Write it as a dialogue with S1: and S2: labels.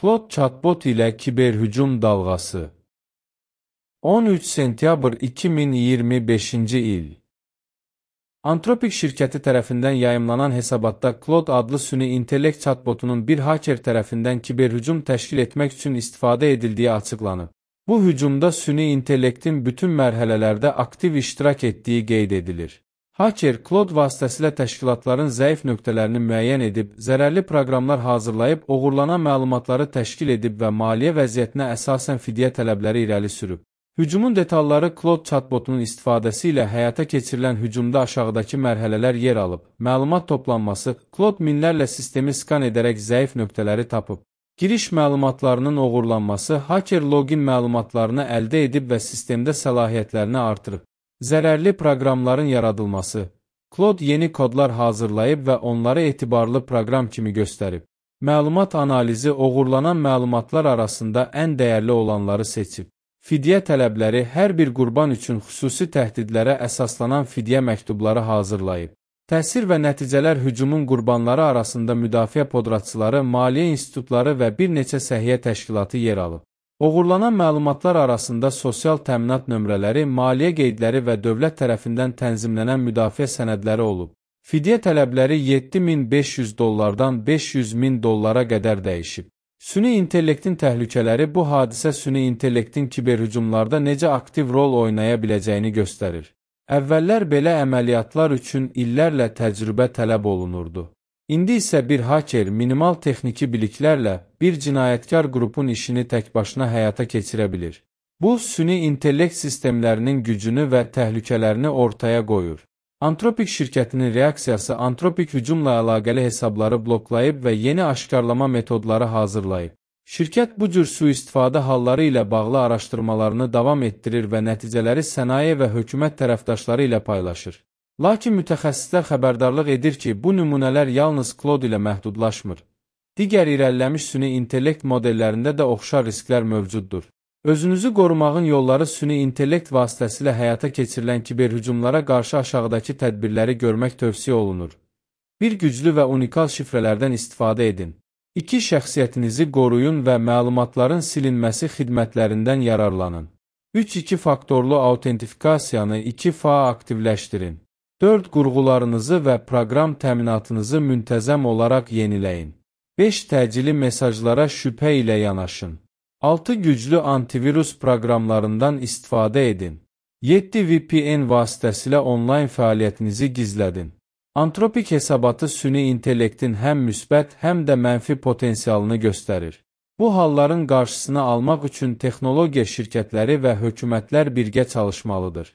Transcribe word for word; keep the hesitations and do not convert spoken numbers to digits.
S1: Claude chatbot ile kiberhücum dalğası. on üç sentyabr iki min iyirmi beşinci il. Anthropic şirkəti tərəfindən yayımlanan hesabatda Claude adlı süni intellekt chatbotunun bir haker tərəfindən kiberhücum təşkil etmək üçün istifadə edildiyi açıqlanıb. Bu hücumda süni intellektin bütün mərhələlərdə aktiv iştirak etdiyi qeyd edilir. Haker, Claude vasitəsilə təşkilatların zəif nöqtələrini müəyyən edib, zərərli proqramlar hazırlayıb, oğurlanan məlumatları təşkil edib və maliyyə vəziyyətinə əsasən fidyə tələbləri irəli sürüb. Hücumun detalları Claude chatbotunun istifadəsi ilə həyata keçirilən hücumda aşağıdakı mərhələlər yer alıb. Məlumat toplanması, Claude minlərlə sistemi skan edərək zəif nöqtələri tapıb. Giriş məlumatlarının oğurlanması, haker login məlumatlarını əldə edib və sistemdə səlahiyyətlərini artırıb. Zərərli proqramların yaradılması, Claude yeni kodlar hazırlayıb və onları etibarlı proqram kimi göstərib. Məlumat analizi oğurlanan məlumatlar arasında ən dəyərli olanları seçib. Fidyə tələbləri hər bir qurban üçün xüsusi təhdidlərə əsaslanan fidyə məktubları hazırlayıb. Təsir və nəticələr hücumun qurbanları arasında müdafiə podratçıları, maliyyə institutları və bir neçə səhiyyə təşkilatı yer alıb. Oğurlanan məlumatlar arasında sosial təminat nömrələri, maliyyə qeydləri və dövlət tərəfindən tənzimlənən müdafiə sənədləri olub. Fidyə tələbləri yeddi min beş yüz dollardan beş yüz min dollara qədər dəyişib. Süni intellektin təhlükələri bu hadisə süni intellektin kiberhücumlarda necə aktiv rol oynaya biləcəyini göstərir. Əvvəllər belə əməliyyatlar üçün illərlə təcrübə tələb olunurdu. İndi isə bir haker minimal texniki biliklərlə bir cinayətkar qrupun işini təkbaşına həyata keçirə bilir. Bu, süni intellekt sistemlərinin gücünü və təhlükələrini ortaya qoyur. Anthropic şirkətinin reaksiyası Anthropic hücumla əlaqəli hesabları bloklayıb və yeni aşkarlama metodları hazırlayıb. Şirkət bu cür sui-istifadə halları ilə bağlı araşdırmalarını davam etdirir və nəticələri sənaye və hökumət tərəfdaşları ilə paylaşır. Lakin mütəxəssislər xəbərdarlıq edir ki, bu nümunələr yalnız Claude ilə məhdudlaşmır. Digər irəliləmiş süni intellekt modellərində də oxşar risklər mövcuddur. Özünüzü qorumağın yolları süni intellekt vasitəsilə həyata keçirilən kiberhücumlara qarşı aşağıdakı tədbirləri görmək tövsiyə olunur. Bir güclü və unikal şifrələrdən istifadə edin. İki şəxsiyyətinizi qoruyun və məlumatların silinməsi xidmətlərindən yararlanın. üç iki faktorlu autentifikasiyanı iki fa aktivləşdirin. dörd qurğularınızı və proqram təminatınızı müntəzəm olaraq yeniləyin. beş təcili mesajlara şübhə ilə yanaşın. altı güclü antivirus proqramlarından istifadə edin. yeddi V P N vasitəsilə onlayn fəaliyyətinizi gizlədin. Anthropic hesabatı süni intellektin həm müsbət, həm də mənfi potensialını göstərir. Bu halların qarşısını almaq üçün texnologiya şirkətləri və hökumətlər birgə çalışmalıdır.